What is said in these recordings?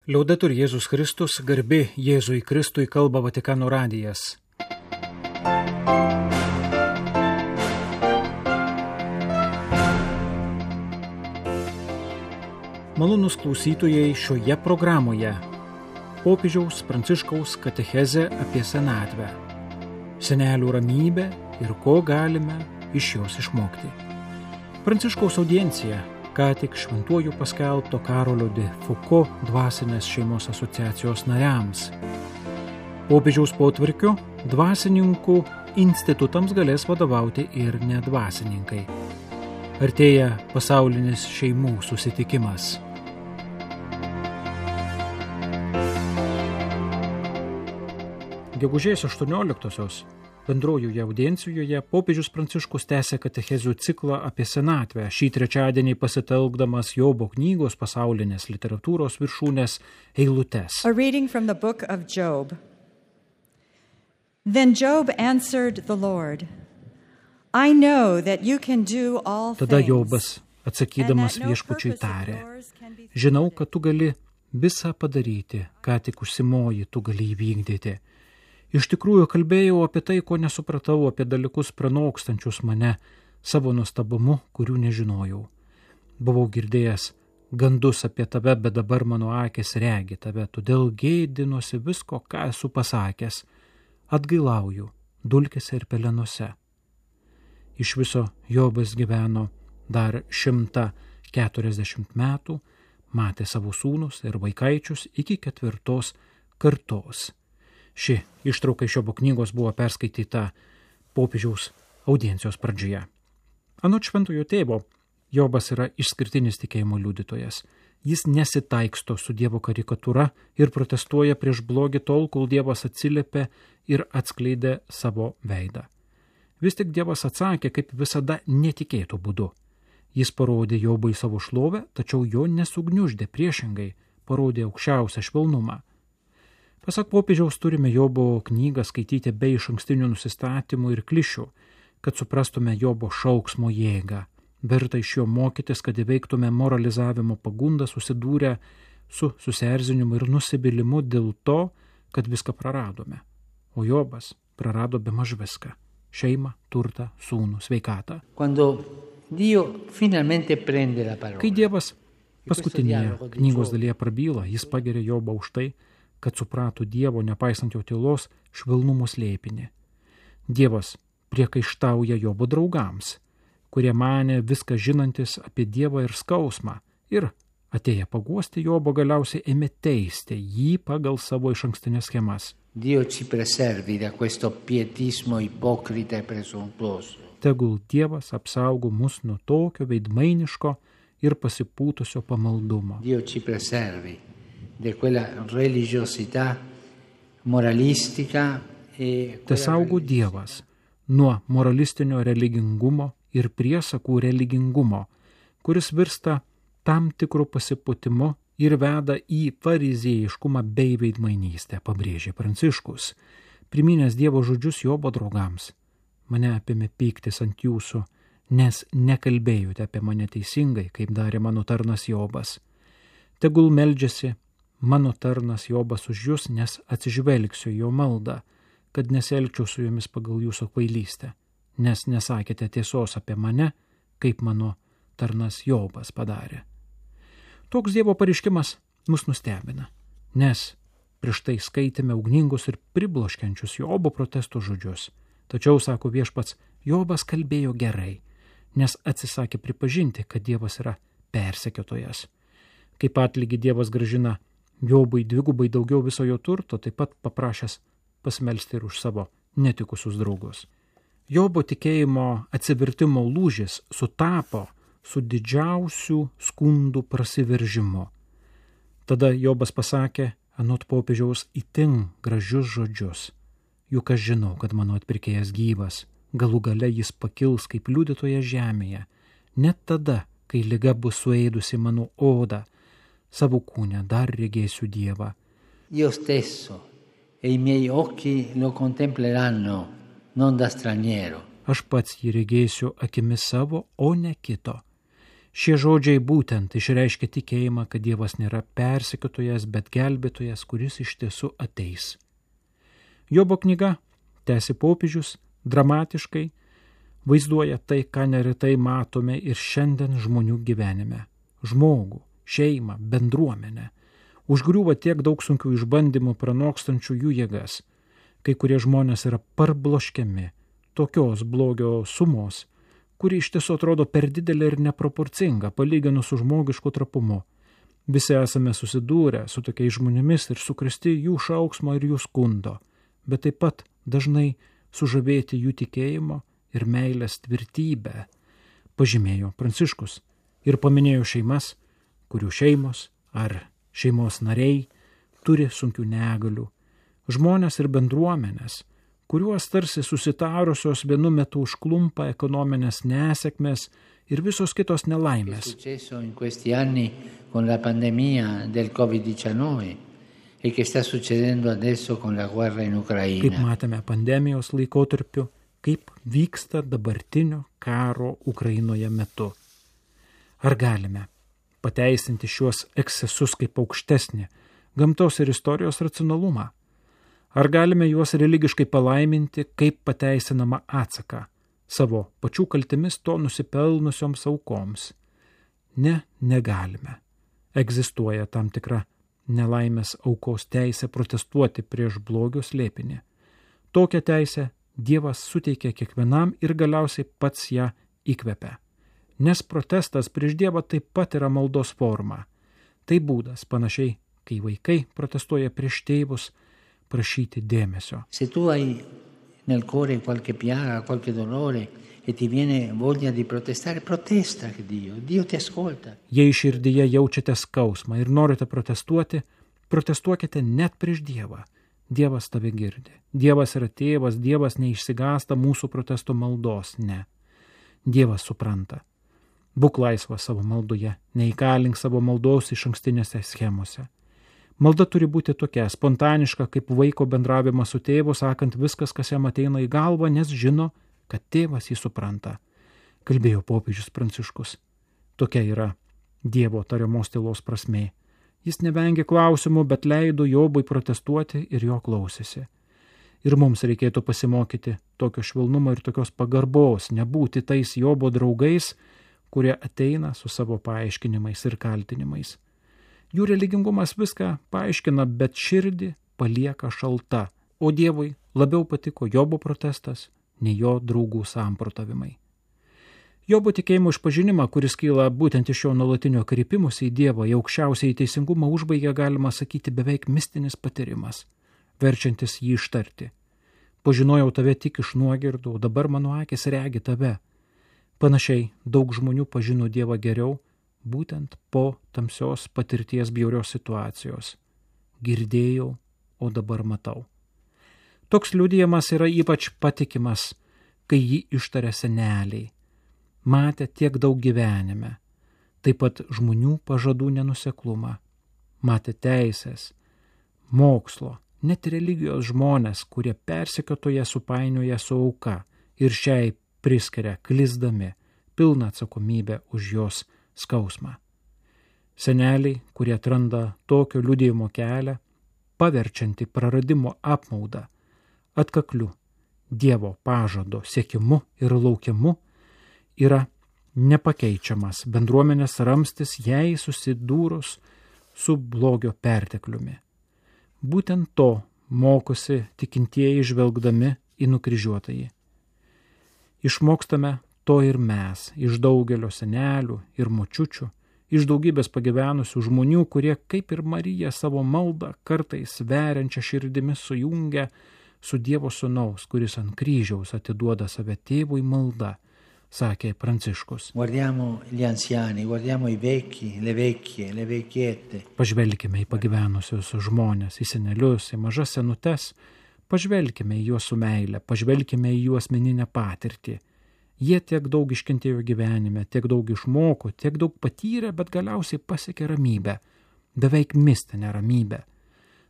Liaudetur Jėzus Kristus, garbė Jėzui Kristui, kalba Vatikano radijas. Malonūs klausytojai, šioje programoje popiežiaus Pranciškaus katechezė apie senatvę, senelių ramybę ir ko galime iš jos išmokti. Pranciškaus audiencija ką tik šventuoju paskelbto Karolio de Foucault dvasinės šeimos asociacijos nariams. Popiežiaus potvarkiu dvasininkų institutams galės vadovauti ir nedvasininkai. Artėja pasaulinis šeimų susitikimas. Gegužės 18-osios bendrojoje audiencijoje popiežius Pranciškus tęsė katechezių ciklą apie senatvę, šį trečiadienį pasitelkdamas Jobo knygos pasaulinės literatūros viršūnės eilutes. A reading from the book of Job. Then Job answered the Lord, I know that you can do all things. Tada Jobas, atsakydamas viešpačiui, tarė, žinau, kad tu gali visą padaryti, ką tik užsimoji, tu gali įvykdyti. Iš tikrųjų kalbėjau apie tai, ko nesupratau, apie dalykus pranokstančius mane savo nuostabumu, kurių nežinojau. Buvau girdėjęs gandus apie tave, bet dabar mano akis regi tave, todėl gėdinuosi visko, ką esu pasakęs. Atgailauju dulkėse ir pelenuose. Iš viso Jobas gyveno dar 140 metų, matė savo sūnus ir vaikaičius iki 4 kartos. Ši ištrauka iš Jobo knygos buvo perskaityta popiežiaus audiencijos pradžioje. Anot šventojo tėvo, Jobas yra išskirtinis tikėjimo liudytojas. Jis nesitaiksto su Dievo karikatūra ir protestuoja prieš blogį tol, kol Dievas atsiliepė ir atskleidė savo veidą. Vis tik Dievas atsakė, kaip visada, netikėtų būdu. Jis parodė Jobui savo šlovę, tačiau jo nesugniuždė, priešingai parodė aukščiausią švelnumą. Pasak popiežiaus, turime Jobo knygą skaityti be išankstinių nusistatymų ir klišių, kad suprastume Jobo šauksmo jėgą. Verta iš jo mokytis, kad įveiktume moralizavimo pagundą susidūrę su susierzinimu ir nusivylimu dėl to, kad viską praradome. O Jobas prarado bemaž viską – šeimą, turtą, sūnų, sveikatą. Kai Dievas paskutinėje knygos dalyje prabyla, jis pageria Jobą už tai, kad suprato Dievo, nepaisant jo tylos, švelnumo slėpinį. Dievas priekaištauja Jobo draugams, kurie manė viską žinantis apie Dievą ir skausmą, ir atėję paguosti Jobo galiausiai ėmė teisti jį pagal savo išankstinės schemas. Tegul Dievas apsaugo mus nuo tokio veidmainiško ir pasipūtusio pamaldumo. Tesaugo Dievas nuo moralistinio religingumo ir priesakų religingumo, kuris virsta tam tikru pasipūtimu ir veda į farizėjiškumą bei veidmainystę, pabrėžė Pranciškus, priminęs Dievo žodžius Jobo draugams. Mane apėmė pyktis ant jūsų, nes nekalbėjote apie mane teisingai, kaip darė mano tarnas Jobas. Tegul meldžiasi mano tarnas Jobas už jūs, nes atsižvelgsiu jo maldą, kad nesielgčiau su jumis pagal jūsų kvailystę, nes nesakėte tiesos apie mane, kaip mano tarnas Jobas padarė. Toks Dievo pareiškimas mus nustebina, nes prieš tai skaitėme ugningus ir pribloškiančius Jobo protesto žodžius. Tačiau, sako viešpats, Jobas kalbėjo gerai, nes atsisakė pripažinti, kad Dievas yra persekiotojas. Kaip atlygį Dievas grąžina Jobui dvigubai daugiau viso jo turto, taip pat paprašęs pasimelsti ir už savo netikusius draugus. Jobo tikėjimo atsivertimo lūžis sutapo su didžiausių skundų prasiveržimu. Tada Jobas pasakė, anot popiežiaus, itin gražius žodžius. Juk aš žinau, kad mano atpirkėjas gyvas, galų gale jis pakils kaip liudytojas žemėje, net tada, kai liga bus suėdusi mano odą, savo kūne dar regėsiu Dievą. Io stesso e I miei occhi lo contempleranno, non da straniero. Aš pats jį regėsiu akimis savo, o ne kito. Šie žodžiai būtent išreiškia tikėjimą, kad Dievas nėra persekiotojas, bet gelbėtojas, kuris iš tiesų ateis. Jobo knyga, tęsi popiežius, dramatiškai vaizduoja tai, ką neretai matome ir šiandien žmonių gyvenime. Žmogų, šeimą, bendruomenę. Užgriūva tiek daug sunkių išbandymų pranokstančių jų jėgas. Kai kurie žmonės yra parbloškiami tokios blogio sumos, kuri iš tiesų atrodo per didelė ir neproporcinga, palyginus su žmogišku trapumu. Visi esame susidūrę su tokiais žmonėmis ir sukrėsti jų šauksmo ir jų skundo, bet taip pat dažnai sužavėti jų tikėjimo ir meilės tvirtybę, pažymėjo Pranciškus ir paminėjo šeimas, kurių šeimos ar šeimos nariai turi sunkių negalių, žmonės ir bendruomenės, kuriuos tarsi susitarusios vienu metu užklumpa ekonominės nesėkmės ir visos kitos nelaimės. Kaip matėme pandemijos laikotarpiu, kaip vyksta dabartinio karo Ukrainoje metu. Ar galime pateisinti šiuos ekscesus kaip aukštesnį gamtos ir istorijos racionalumą? Ar galime juos religiškai palaiminti kaip pateisinamą atsaką savo pačių kaltėmis to nusipelnusioms aukoms? Ne, negalime. Egzistuoja tam tikra nelaimės aukos teisė protestuoti prieš blogio slėpinį. Tokią teisę Dievas suteikia kiekvienam ir galiausiai pats ją įkvepia. Nes protestas prieš Dievą taip pat yra maldos forma. Tai būdas, panašiai, kai vaikai protestuoja prieš tėvus, prašyti dėmesio. Se tu hai nel cuore qualche piaga, qualche dolore e ti viene voglia di protestare, protesta che Dio ti ascolta. Jei širdyje jaučiate skausmą ir norite protestuoti, protestuokite net prieš Dievą. Dievas tave girdi. Dievas yra tėvas, Dievas neišsigąsta mūsų protesto maldos, ne. Dievas supranta. Būk laisvas savo maldoje, neįkalink savo maldos iš ankstinėse schemose. Malda turi būti tokia, spontaniška, kaip vaiko bendravimas su tėvu, sakant viskas, kas jam ateina į galvą, nes žino, kad tėvas jį supranta. Kalbėjo popiežius Pranciškus. Tokia yra Dievo tariamos tylos prasmė. Jis nevengė klausimų, bet leido Jobui protestuoti ir jo klausėsi. Ir mums reikėtų pasimokyti tokio švelnumo ir tokios pagarbos, nebūti tais Jobo draugais, kurie ateina su savo paaiškinimais ir kaltinimais. Jų religingumas viską paaiškina, bet širdį palieka šalta, o Dievui labiau patiko Jobo protestas, nei jo draugų samprotavimai. Jobo tikėjimo išpažinimą, kuris kyla būtent iš jo nuolatinio kreipimusi į Dievą, į aukščiausiai teisingumą užbaigia, galima sakyti, beveik mistinis patyrimas, verčiantis jį ištarti. Pažinojau tave tik iš nuogirdų, o dabar mano akis regi tave. Panašiai daug žmonių pažino Dievą geriau, būtent po tamsios patirties bjaurios situacijos. Girdėjau, o dabar matau. Toks liudijimas yra ypač patikimas, kai jį ištaria seneliai. Matė tiek daug gyvenime, taip pat žmonių pažadų nenuseklumą, matė teisės, mokslo, net religijos žmonės, kurie persekiotoje supainioja su auka ir šiai priskiria klysdami pilną atsakomybę už jos skausmą. Seneliai, kurie atranda tokio liudijimo kelią, paverčiantį praradimo apmaudą, atkakliu Dievo pažado siekimu ir laukimu, yra nepakeičiamas bendruomenės ramstis jai susidūrus su blogio pertekliumi. Būtent to mokosi tikintieji žvelgdami į nukryžiuotąjį. Išmokstame to ir mes iš daugelio senelių ir močiučių, iš daugybės pagyvenusių žmonių, kurie kaip ir Marija savo maldą kartais veriančią širdimi sujungia su Dievo sūnaus, kuris ant kryžiaus atiduoda save tėvui malda, sakė Pranciškus. Guardiamo gli anziani, guardiamo i vecchi, le vecchie, le vecchiette. Pažvelkime į pagyvenusius žmonės, į senelius, į mažas senutes, pažvelkime į juos su meile, pažvelkime į jų asmeninę patirtį. Jie tiek daug iškentėjo gyvenime, tiek daug išmoko, tiek daug patyrė, bet galiausiai pasiekė ramybę, beveik mistinę ramybę.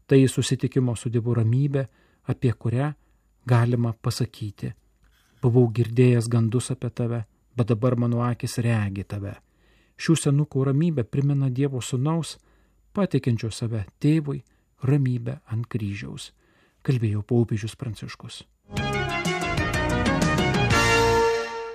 Tai susitikimo su Dievu ramybė, apie kurią galima pasakyti: buvau girdėjęs gandus apie tave, bet dabar mano akis regi tave. Šių senukų ramybė primena Dievo sūnaus, pateikiančio save tėvui, ramybę ant kryžiaus, kalbėjo popiežius Pranciškus.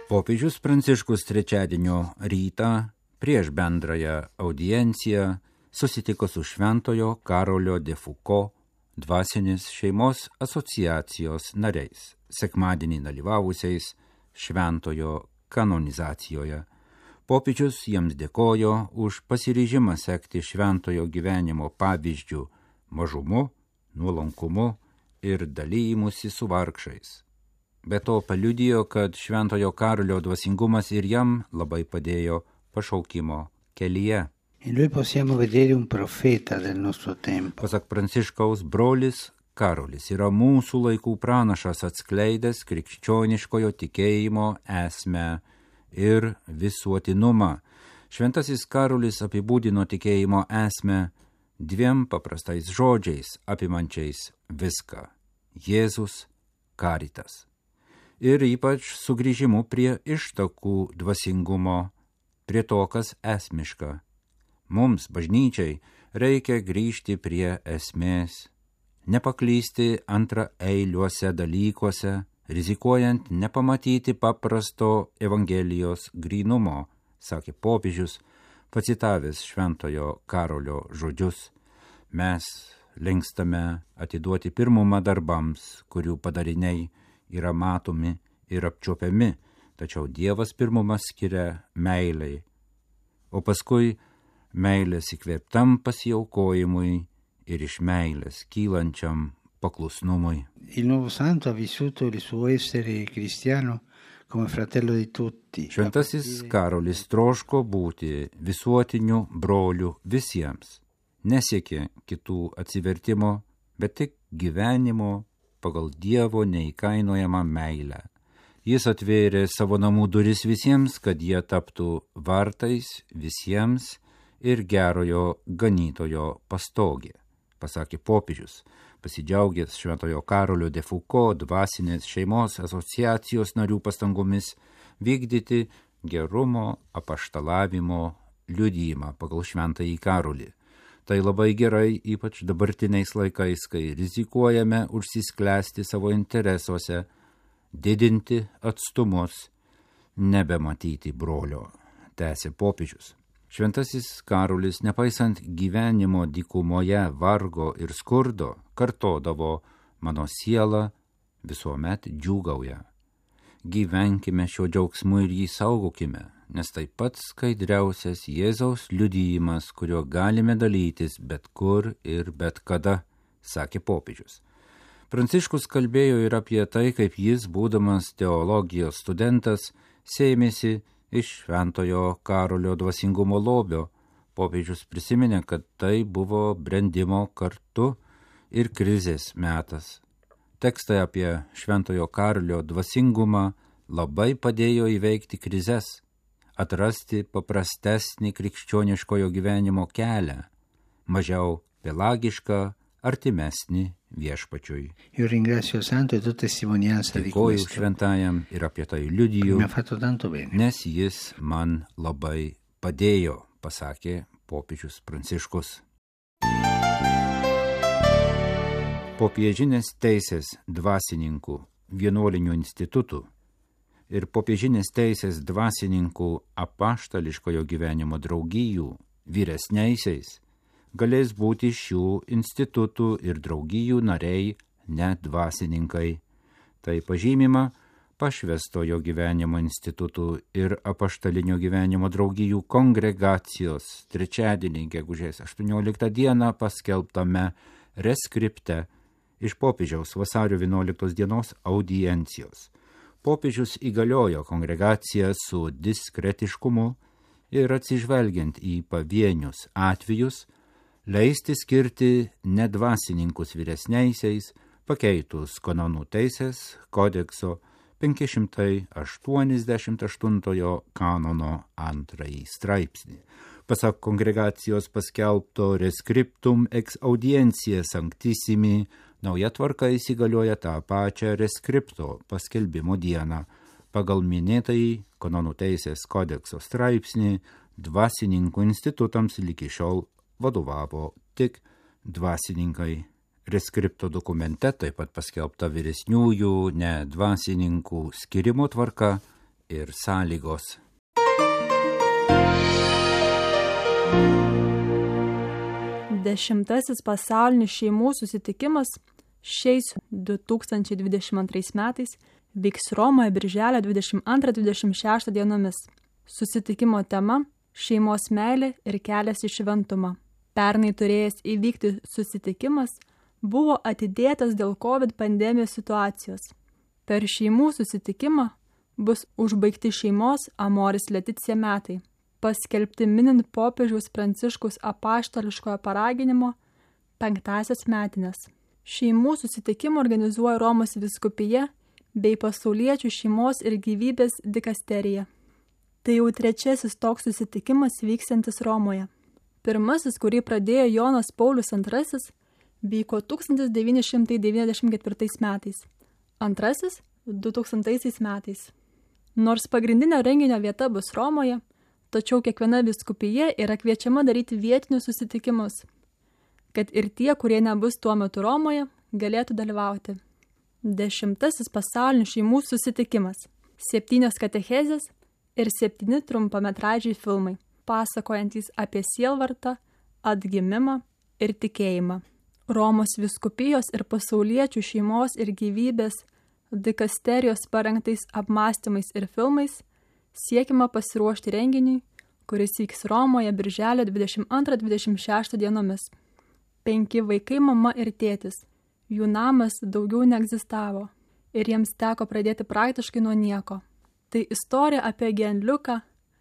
Popiežius Pranciškus trečiadienio rytą prieš bendrąją audienciją susitiko su Šventojo Karolio de Foucault dvasinės šeimos asociacijos nariais, sekmadienį dalyvavusiais Šventojo kanonizacijoje. Popiežius jiems dėkojo už pasiryžimą sekti šventojo gyvenimo pavyzdžių mažumu, nuolankumu ir dalyjimusi su vargšais. Be to paliudijo, kad Šventojo Karolio dvasingumas ir jam labai padėjo pašaukimo kelyje. Pasak Pranciškaus, brolis Karolis yra mūsų laikų pranašas, atskleidęs krikščioniškojo tikėjimo esmę ir visuotinumą. Šventasis Karolis apibūdino tikėjimo esmę dviem paprastais žodžiais, apimančiais viską – Jėzus, Caritas. Ir ypač sugrįžimu prie ištakų dvasingumo, prie to, kas esmiška. Mums, bažnyčiai, reikia grįžti prie esmės, nepaklysti antraeiliuose dalykuose, rizikuojant nepamatyti paprasto Evangelijos grynumo, sakė popiežius, pacitavęs Šventojo Karolio žodžius. Mes linkstame atiduoti pirmumą darbams, kurių padariniai yra matomi ir apčiuopiami, tačiau Dievas pirmumą skiria meilei, o paskui meilės įkvėptam pasiaukojimui ir iš meilės kylančiam paklusnumui. Il nuovo santo ha vissuto il suo essere cristiano come fratello di tutti. Šventasis Karolis troško būti visuotiniu broliu visiems. Nesiekė kitų atsivertimo, bet tik gyvenimo pagal Dievo neįkainojamą meilę. Jis atvėrė savo namų duris visiems, kad jie taptų vartais visiems ir gerojo ganytojo pastogė, pasakė popiežius, pasidžiaugęs Šventojo Karolio de Foucault dvasinės šeimos asociacijos narių pastangomis vykdyti gerumo apaštalavimo liudijimą pagal Šventąjį Karolį. Tai labai gerai, ypač dabartiniais laikais, kai rizikuojame užsisklęsti savo interesuose, didinti atstumus, nebematyti brolio, tęsė popiežius. Šventasis Karolis, nepaisant gyvenimo dykumoje, vargo ir skurdo, kartodavo: mano siela visuomet džiūgauja. Gyvenkime šio džiaugsmu ir jį saugokime, nes tai pats skaidriausias Jėzaus liudijimas, kuriuo galime dalytis bet kur ir bet kada, sakė popiežius. Pranciškus kalbėjo ir apie tai, kaip jis, būdamas teologijos studentas, sėmėsi iš Šventojo Karolio dvasingumo lobio. Popiežius prisiminė, kad tai buvo brendimo kartu ir krizės metas. Tekstai apie Šventojo Karolio dvasingumą labai padėjo įveikti krizes, atrasti paprastesnį krikščioniškojo gyvenimo kelią, mažiau pelagišką, artimesnį viešpačiui. Dėkoju šventajam ir apie tai liudiju, nes jis man labai padėjo, pasakė popiežius Pranciškus. Popiežinės teisės dvasininkų vienuolinių institutų ir popiežinės teisės dvasininkų apaštališkojo gyvenimo draugijų vyresniaisiais galės būti šių institutų ir draugijų nariai, net dvasininkai. Tai pažymima Pašvęstojo gyvenimo institutų ir apaštalinio gyvenimo draugijų kongregacijos trečiadienį gegužės 18 dieną paskelbtame reskripte iš popiežiaus vasario 11 dienos audiencijos. Popiežius įgaliojo kongregaciją su diskretiškumu ir atsižvelgiant į pavienius atvejus, leisti skirti nedvasininkus vyresniaisiais, pakeitus kanonų teisės kodekso 588 kanono 2 straipsnį. Pasak kongregacijos paskelbto reskriptum ex audiencija sanctissimi, nauja tvarka įsigalioja tą pačią reskripto paskelbimo dieną. Pagal minėtąjį kanonų teisės kodekso straipsnį dvasininkų institutams iki šiol vadovavo tik dvasininkai. Reskripto dokumente taip pat paskelbta vyresniųjų dvasininkų skirimo tvarka ir sąlygos. Dešimtasis pasaulinis šeimų susitikimas šiais 2022 metais vyks Romoje birželio 22-26 dienomis. Susitikimo tema – šeimos meilė ir kelias į šventumą. Pernai turėjęs įvykti susitikimas buvo atidėtas dėl COVID pandemijos situacijos. Per šeimų susitikimą bus užbaigti šeimos Amoris Laetitia metai, paskelbti minint popiežiaus Pranciškaus apaštališkojo paraginimo 5-asias metines. Šeimų susitikimą organizuoja Romos vyskupija bei pasauliečių šeimos ir gyvybės dikasterija. Tai jau 3. toks susitikimas vyksiantis Romoje. Pirmasis, kurį pradėjo Jonas Paulius II, vyko 1994 metais. Antrasis – 2000 metais. Nors pagrindinio renginio vieta bus Romoje, tačiau kiekviena vyskupija yra kviečiama daryti vietinius susitikimus, kad ir tie, kurie nebus tuo metu Romoje, galėtų dalyvauti. 10. pasaulinis šeimų susitikimas. 7 katechezės ir 7 trumpametražiai filmai, pasakojantys apie sielvartą, atgimimą ir tikėjimą. Romos vyskupijos ir pasauliečių šeimos ir gyvybės dikasterijos parengtais apmąstymais ir filmais siekiama pasiruošti renginiui, kuris vyks Romoje birželio 22-26 dienomis. 5 vaikai, mama ir tėtis. Jų namas daugiau neegzistavo ir jiems teko pradėti praktiškai nuo nieko. Tai istorija apie Gianluką,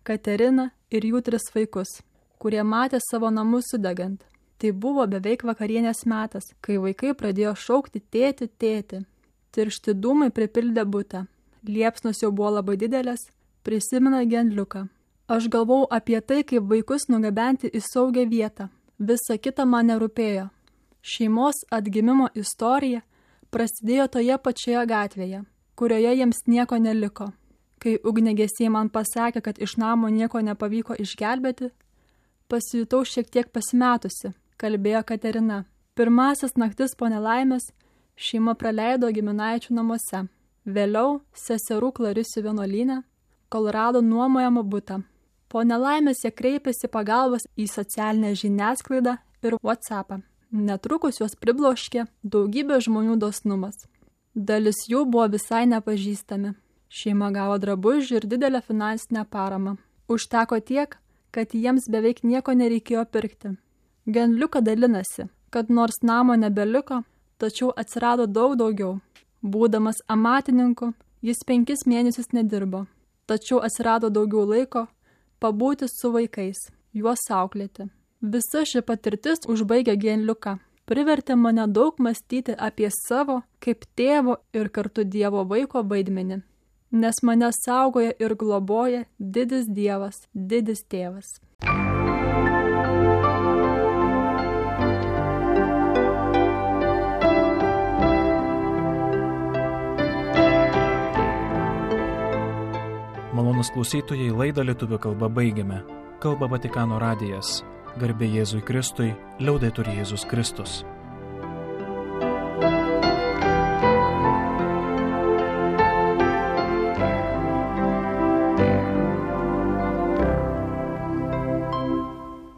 Kateriną ir jų 3 vaikus, kurie matė savo namus sudegant. Tai buvo beveik vakarienės metas, kai vaikai pradėjo šaukti tėti, tėti. Tiršti dūmai pripildė butą. Liepsnos jau buvo labai didelės, prisimena Gianluką. Aš galvau apie tai, kaip vaikus nugabenti į saugią vietą. Visa kita man nerūpėjo. Šeimos atgimimo istorija prasidėjo toje pačioje gatvėje, kurioje jiems nieko neliko. Kai ugniagesiai man pasakė, kad iš namo nieko nepavyko išgelbėti, pasijutau šiek tiek pasimetusi, kalbėjo Katerina. Pirmasis naktis po nelaimės šeima praleido giminaičių namuose. Vėliau seserų Clarisių vienuolyne, kol rado nuomojamą butą. Po nelaimės jie kreipėsi pagalbos į socialinę žiniasklaidą ir WhatsAppą. Netrukus juos pribloškė daugybė žmonių dosnumas. Dalis jų buvo visai nepažįstami. Šeima gavo drabužių ir didelę finansinę paramą. Užteko tiek, kad jiems beveik nieko nereikėjo pirkti. Gianluka dalinasi, kad nors namo nebeliko, tačiau atsirado daug daugiau. Būdamas amatininku, jis 5 mėnesius nedirbo, tačiau atsirado daugiau laiko pabūti su vaikais, juos auklėti. Visa ši patirtis užbaigė Gianluką. Privertė mane daug mąstyti apie savo kaip tėvo ir kartu Dievo vaiko vaidmenį, nes mane saugoja ir globoja didis Dievas, didis tėvas. Malonus klausytojai, laidą lietuvių kalba baigiame. Kalba Vatikano radijas. Garbė Jėzui Kristui, liaudetur Jėzus Kristus.